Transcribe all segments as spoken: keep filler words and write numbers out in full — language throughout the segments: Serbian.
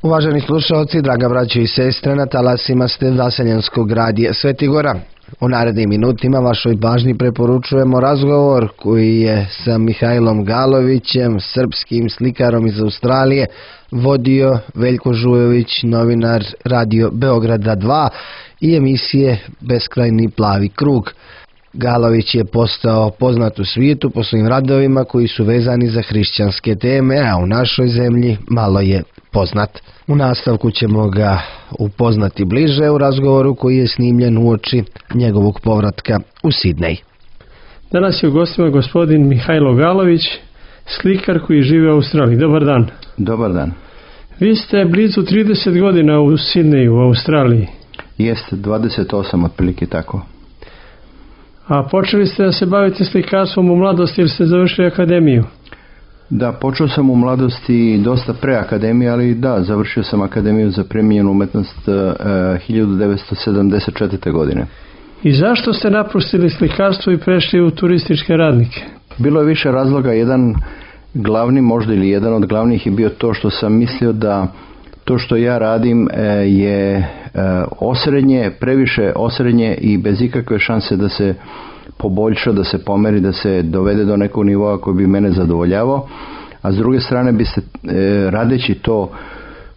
Uvaženi slušalci, draga braćo i sestre, na talasima ste Vaseljenskog radija Sveti Gora. U narednim minutima vašoj pažnji preporučujemo razgovor koji je sa Mihajlom Galovićem, srpskim slikarom iz Australije, vodio Veljko Žujović, novinar Radio Beograda dva i emisije Beskrajni plavi krug. Galović je postao poznat u svijetu po svojim radovima koji su vezani za hrišćanske teme, a u našoj zemlji malo je poznat. U nastavku ćemo ga upoznati bliže u razgovoru koji je snimljen uoči njegovog povratka u Sidnej. Danas je u gostima gospodin Mihajlo Galović, slikar koji živi u Australiji. Dobar dan. Dobar dan. Vi ste blizu trideset godina u Sidneju, u Australiji. Jeste, dvadeset osam otprilike tako. A počeli ste da se bavite slikarstvom u mladosti jer ste završili akademiju? Da, počeo sam u mladosti dosta pre akademije, ali da, završio sam akademiju za primijenjenu umetnost uh, hiljadu devetsto sedamdeset četvrte. godine. I zašto ste napustili slikarstvo i prešli u turističke radnike? Bilo je više razloga. Jedan glavni, možda ili jedan od glavnih je bio to što sam mislio da to što ja radim uh, je uh, osrednje, previše osrednje i bez ikakve šanse da se poboljša, da se pomeri, da se dovede do nekog nivoa koji bi mene zadovoljavao, a s druge strane biste e, radeći to,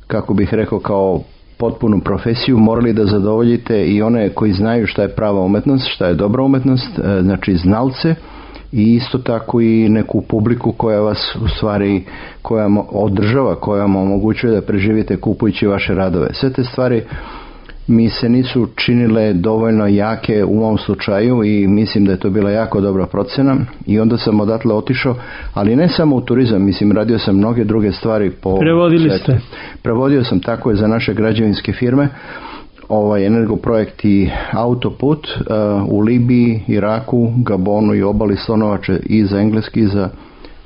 kako bih rekao, kao potpunu profesiju, morali da zadovoljite i one koji znaju šta je prava umetnost, šta je dobra umetnost, e, znači znalce, i isto tako i neku publiku koja vas u stvari, koja održava, koja vam omogućuje da preživite kupujući vaše radove. Sve te stvari mi se nisu činile dovoljno jake u mom slučaju i mislim da je to bila jako dobra procena i onda sam odatle otišao, ali ne samo u turizam, mislim radio sam mnoge druge stvari po Prevodili svetu. ste? Prevodio sam, tako je, za naše građevinske firme, ovaj Energoprojekt i Autoput uh, u Libiji, Iraku, Gabonu i obali Slonovače i za engleski i za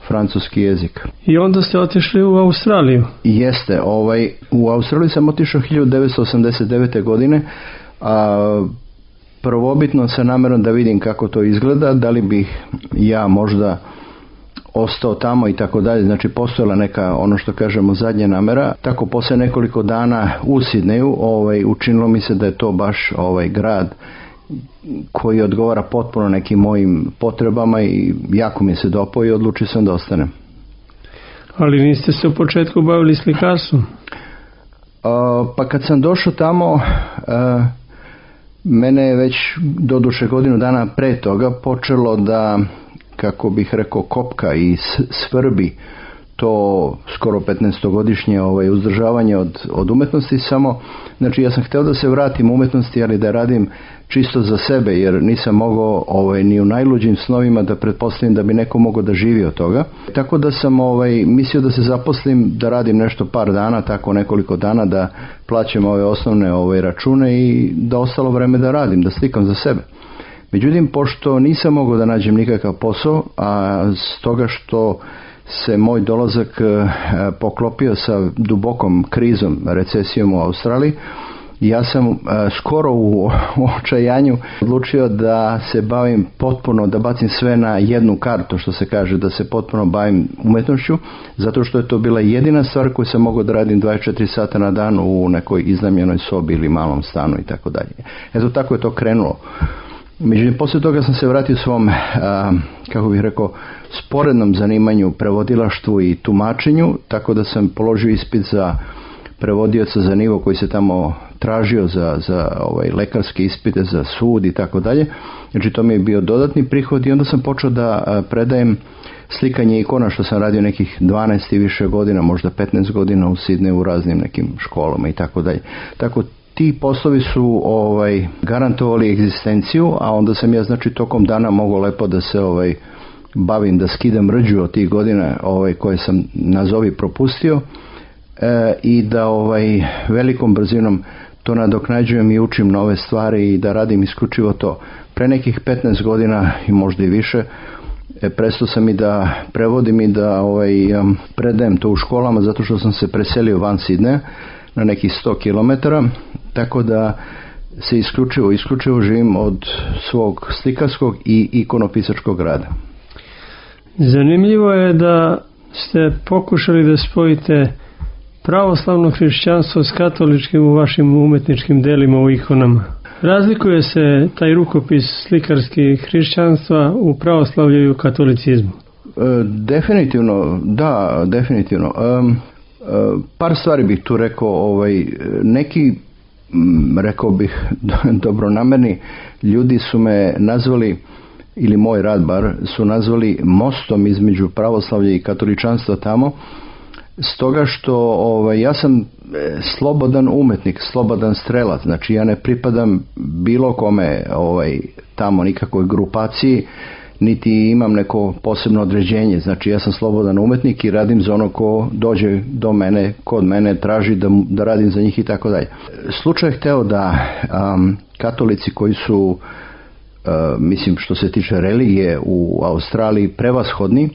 francuski jezik. I onda ste otišli u Australiju? Jeste, ovaj, u Australiju sam otišao hiljadu devetsto osamdeset devete. godine, a prvobitno sa namerom da vidim kako to izgleda, da li bih ja možda ostao tamo i tako dalje, znači postojala neka, ono što kažemo, zadnja namera. Tako poslije nekoliko dana u Sidneju ovaj, učinilo mi se da je to baš ovaj grad koji odgovara potpuno nekim mojim potrebama i jako mi se dopao i odlučio sam da ostanem. Ali niste se u početku bavili slikarstvom? Uh, pa kad sam došao tamo, uh, mene je već doduše godinu dana pre toga počelo da, kako bih rekao, kopka i svrbi to skoro petnaestogodišnje ovaj, uzdržavanje od, od umetnosti. Samo, znači ja sam htio da se vratim u umetnosti, ali da radim čisto za sebe, jer nisam mogao ovaj, ni u najluđim snovima da pretpostavim da bi neko mogao da živi od toga. Tako da sam ovaj, mislio da se zaposlim, da radim nešto par dana, tako nekoliko dana, da plaćam ove osnovne ovaj, račune i da ostalo vreme da radim, da slikam za sebe. Međutim, pošto nisam mogao da nađem nikakav posao, a stoga što se moj dolazak poklopio sa dubokom krizom, recesijom u Australiji, ja sam skoro u očajanju odlučio da se bavim potpuno, da bacim sve na jednu kartu, što se kaže, da se potpuno bavim umetnošću, zato što je to bila jedina stvar koju sam mogao da radim dvadeset četiri sata na dan u nekoj iznajmljenoj sobi ili malom stanu i tako dalje. Eto, tako je to krenulo. Međutim, poslije toga sam se vratio svom, a, kako bih rekao, sporednom zanimanju, prevodilaštvu i tumačenju, tako da sam položio ispit za prevodioca za nivo koji se tamo tražio za, za ovaj, lekarske ispite, za sud i tako dalje. Znači, to mi je bio dodatni prihod i onda sam počeo da a, predajem slikanje ikona, što sam radio nekih dvanaest i više godina, možda petnaest godina u Sidneju u raznim nekim školama i tako dalje. Tako ti poslovi su ovaj, garantovali egzistenciju, a onda sam ja, znači, tokom dana mogao lepo da se ovaj, bavim, da skidam rđu od tih godina ovaj, koje sam nazovi propustio e, i da ovaj, velikom brzinom to nadoknađujem i učim nove stvari i da radim isključivo to. Pre nekih petnaest godina i možda i više e, prestao sam i da prevodim i da ovaj, predajem to u školama, zato što sam se preselio van Sidneja na nekih sto kilometara, tako da se isključivo, isključivo živim od svog slikarskog i ikonopisačkog rada. Zanimljivo je da ste pokušali da spojite pravoslavno hrišćanstvo s katoličkim u vašim umetničkim delima u ikonama? Razlikuje se taj rukopis slikarski hrišćanstva u pravoslavlju i u katolicizmu? E, definitivno, da, definitivno. E, e, par stvari bih tu rekao. Ovaj, neki, m, rekao bih, dobronamerni ljudi su me nazvali, ili moj rad bar, su nazvali mostom između pravoslavlja i katoličanstva tamo, stoga što ovaj, ja sam slobodan umetnik, slobodan strelac, znači ja ne pripadam bilo kome ovaj, tamo nikakvoj grupaciji, niti imam neko posebno određenje, znači ja sam slobodan umetnik i radim za ono ko dođe do mene, kod mene traži da, da radim za njih i tako dalje. Slučaj je hteo da um, katolici koji su, uh, mislim što se tiče religije u Australiji prevashodni,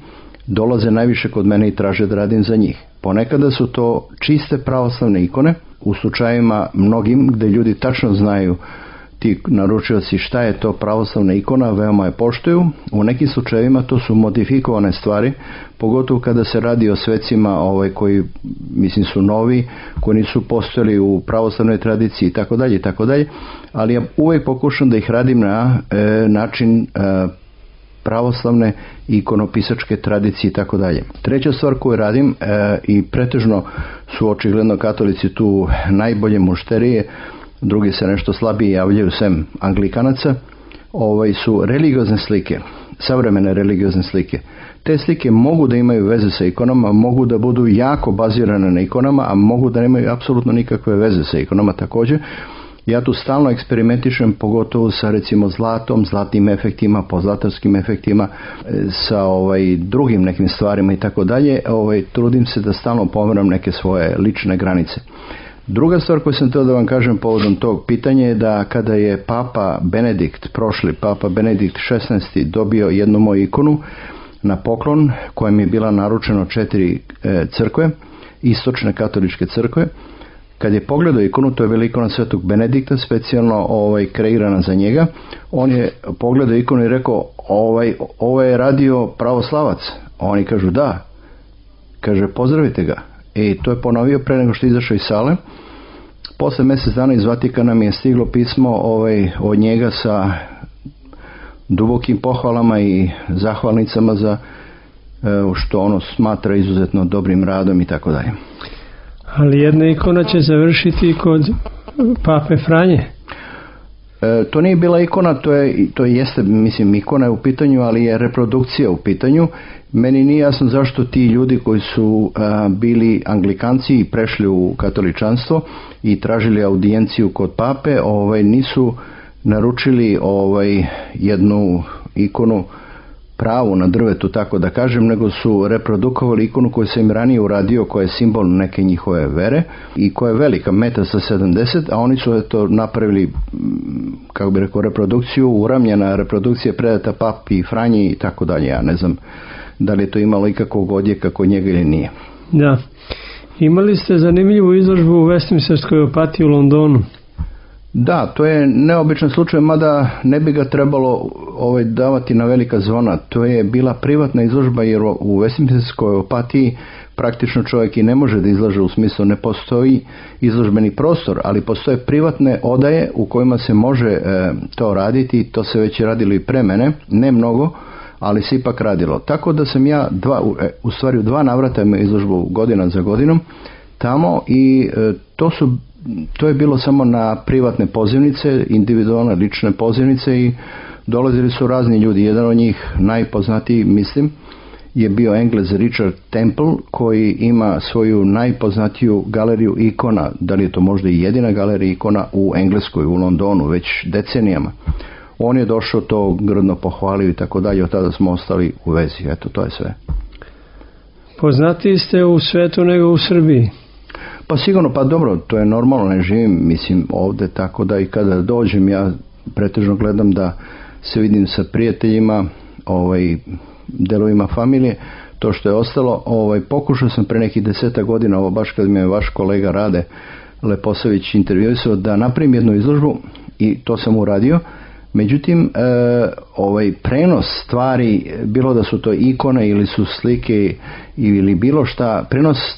dolaze najviše kod mene i traže da radim za njih. Ponekada su to čiste pravoslavne ikone, u slučajima mnogim gde ljudi tačno znaju, ti naručioci, šta je to pravoslavna ikona, veoma je poštuju. U nekim slučajevima to su modifikovane stvari, pogotovo kada se radi o svecima ovaj, koji mislim su novi, koji nisu postojali u pravoslavnoj tradiciji i tako dalje i tako dalje, ali ja uvijek pokušam da ih radim na e, način e, pravoslavne i ikonopisačke tradicije i tako dalje. Treća stvar koju radim e, i pretežno su očigledno katolici tu najbolje mušterije, drugi se nešto slabije javljaju sem anglikanaca, ovaj, su religiozne slike, savremene religiozne slike. Te slike mogu da imaju veze sa ikonama, mogu da budu jako bazirane na ikonama, a mogu da nemaju apsolutno nikakve veze sa ikonama također. Ja tu stalno eksperimentišem, pogotovo sa recimo zlatom, zlatnim efektima, pozlatarskim efektima, sa ovaj, drugim nekim stvarima i tako dalje. Ovaj, trudim se da stalno pomeram neke svoje lične granice. Druga stvar koju sam htio da vam kažem povodom tog pitanja je da kada je Papa Benedikt, prošli Papa Benedikt šesnaesti dobio jednu moju ikonu na poklon, kojem je bila naručeno četiri e, crkve, istočne katoličke crkve, kad je pogledao ikonu, to je bila ikona Svetog Benedikta, specijalno ovaj, kreirana za njega, on je pogledao ikonu i rekao, ovaj, ovo je radio pravoslavac. Oni kažu da, kaže pozdravite ga. I to je ponovio pre nego što je izašao iz sale. Posle mjesec dana iz Vatikana mi je stiglo pismo ovaj, od njega sa dubokim pohvalama i zahvalnicama za što ono smatra izuzetno dobrim radom i tako dalje. Ali jedna ikona će završiti kod Pape Franje. E, to nije bila ikona, to je, to jeste, mislim, ikona je u pitanju, ali je reprodukcija u pitanju. Meni nije jasno zašto ti ljudi koji su a, bili anglikanci i prešli u katoličanstvo i tražili audijenciju kod pape, ovaj, nisu naručili ovaj, jednu ikonu pravu na drvetu, tako da kažem, nego su reprodukovali ikonu koju sam im ranije uradio, koja je simbol neke njihove vere i koja je velika, metar sa sedamdeset, a oni su to napravili, kako bi rekao, reprodukciju, uramljena reprodukcija predata papi, Franji i tako dalje. Ja ne znam da li je to imalo ikakvog odjeka kod njega ili nije. Da. Imali ste zanimljivu izložbu u Westminsterskoj opatiji u Londonu. Da, to je neobičan slučaj, mada ne bi ga trebalo ovaj, davati na velika zvona. To je bila privatna izložba, jer u Westminsterskoj opatiji praktično čovjek i ne može da izlaže, u smislu ne postoji izložbeni prostor, ali postoje privatne odaje u kojima se može e, to raditi. To se već radilo i pre mene, ne mnogo, ali se ipak radilo. Tako da sam ja dva, u stvari u dva navrata imao izložbu godina za godinom tamo i e, to su to je bilo samo na privatne pozivnice, individualne lične pozivnice i dolazili su razni ljudi. Jedan od njih, najpoznatiji mislim, je bio Englez Richard Temple, koji ima svoju najpoznatiju galeriju ikona, da li je to možda i jedina galerija ikona u Engleskoj, u Londonu, već decenijama. On je došao, to grdno pohvalio i tako dalje, od tada smo ostali u vezi. Eto, to je sve. Poznatiji ste u svetu nego u Srbiji? Pa sigurno, pa dobro, to je normalno, ne živim, mislim, ovdje, tako da i kada dođem, ja pretežno gledam da se vidim sa prijateljima, ovaj, delovima familije, to što je ostalo. Ovaj, pokušao sam pre nekih deseta godina, ovo baš kad mi je vaš kolega Rade Leposavić intervjuisao, da napravim jednu izložbu i to sam uradio, Međutim, e, ovaj prenos stvari, bilo da su to ikone ili su slike ili bilo šta, prenos e,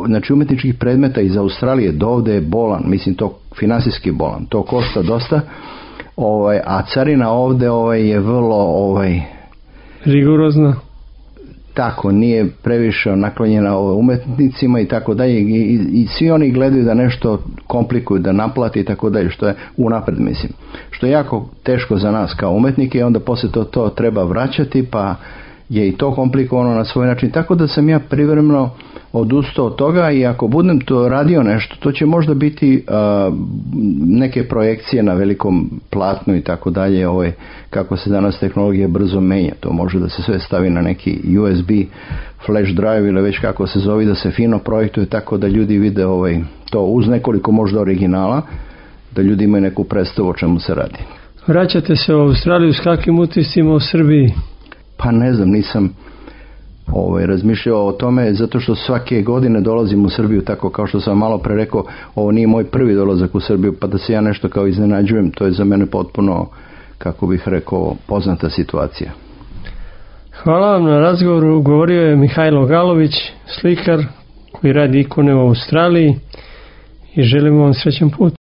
znači umetničkih predmeta iz Australije do ovde je bolan, mislim to finansijski bolan, to košta dosta, ovaj, a carina ovde ovaj, je vrlo ovaj, rigorozna. Tako, nije previše naklonjena umetnicima i tako dalje i, i svi oni gledaju da nešto komplikuju, da naplati i tako dalje, što je unapred, mislim. Što je jako teško za nas kao umetnike i onda poslije to, to treba vraćati, pa je i to komplikovano na svoj način. Tako da sam ja privremeno odustao od toga i ako budem to radio nešto, to će možda biti uh, neke projekcije na velikom platnu i tako dalje, ovaj, kako se danas tehnologija brzo menja. To može da se sve stavi na neki U S B flash drive ili već kako se zove, da se fino projektuje tako da ljudi vide ovaj, to uz nekoliko možda originala, da ljudi imaju neku predstavu o čemu se radi. Vraćate se u Australiju s kakvim utiscima u Srbiji? Pa ne znam, nisam ovaj, razmišljao o tome, zato što svake godine dolazim u Srbiju, tako kao što sam malo pre rekao, ovo nije moj prvi dolazak u Srbiju, pa da se ja nešto kao iznenađujem, to je za mene potpuno, kako bih rekao, poznata situacija. Hvala vam na razgovoru. Govorio je Mihajlo Galović, slikar koji radi ikone u Australiji i želimo vam srećan put.